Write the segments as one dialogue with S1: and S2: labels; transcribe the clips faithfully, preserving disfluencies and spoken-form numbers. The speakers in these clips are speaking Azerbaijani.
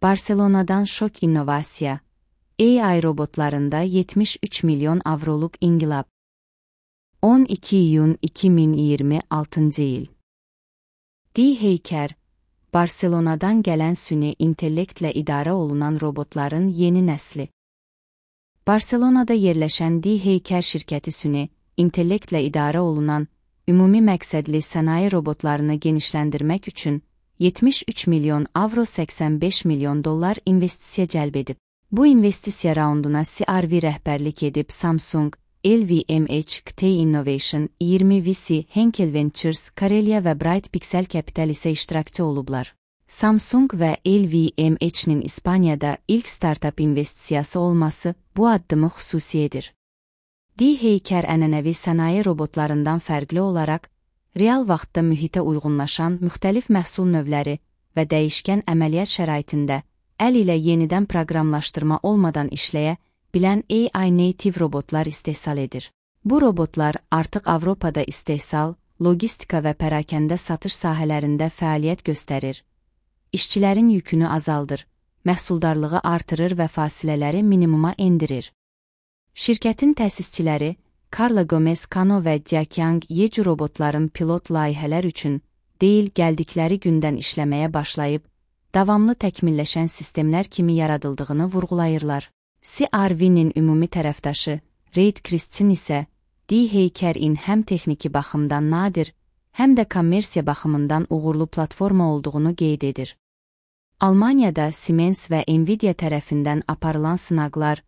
S1: Barselona'dan şok innovasiya. A I robotlarında yetmiş üç milyon avroluk inqilab. on iki iyun iki min iyirmi altıncı il. D-Heyker, Barselona'dan gələn süni intellektlə idarə olunan robotların yeni nəsli. Barselona'da yerləşən D-Heyker şirkəti süni intellektlə idarə olunan ümumi məqsədli sənaye robotlarını genişləndirmək üçün yetmiş üç milyon avro səksən beş milyon dollar investisiya cəlb edib. Bu investisiya raunduna C R V rəhbərlik edib Samsung, L V M H, Ktay Innovation, iyirmi V C, Henkel Ventures, Karelia və Bright Pixel Capital isə iştirakçı olublar. Samsung və L V M H-nin İspaniyada ilk startup investisiyası olması bu addımı xüsusi edir. D-Heyker ənənəvi sənaye robotlarından fərqli olaraq, real vaxtda mühitə uyğunlaşan müxtəlif məhsul növləri və dəyişkən əməliyyat şəraitində əl ilə yenidən proqramlaşdırma olmadan işləyə bilən A I native robotlar istehsal edir. Bu robotlar artıq Avropada istehsal, logistika və pərakəndə satış sahələrində fəaliyyət göstərir, işçilərin yükünü azaldır, məhsuldarlığı artırır və fasilələri minimuma endirir. Şirkətin təsisçiləri Carla Gomez Cano və Jiaqiang Yeju robotların pilot layihələr üçün deyil gəldikləri gündən işləməyə başlayıb, davamlı təkmilləşən sistemlər kimi yaradıldığını vurğulayırlar. C R V-nin ümumi tərəfdaşı Reid Christin isə D-Heyker-in həm texniki baxımdan nadir, həm də kommersiya baxımından uğurlu platforma olduğunu qeyd edir. Almaniyada Siemens və Nvidia tərəfindən aparılan sınaqlar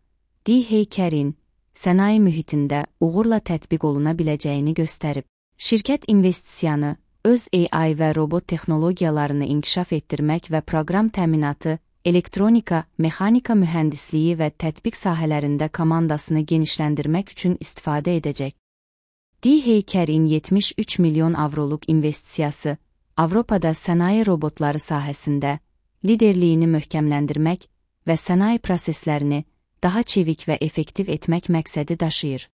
S1: D-Heyker-in sənaye mühitində uğurla tətbiq oluna biləcəyini göstərib. Şirkət investisiyanı öz A I və robot texnologiyalarını inkişaf etdirmək və proqram təminatı, elektronika, mexanika mühəndisliyi və tətbiq sahələrində komandasını genişləndirmək üçün istifadə edəcək. D-Heyker-in yetmiş üç milyon avroluq investisiyası Avropada sənaye robotları sahəsində liderliyini möhkəmləndirmək və sənaye proseslərini daha çevik və effektiv etmək məqsədi daşıyır.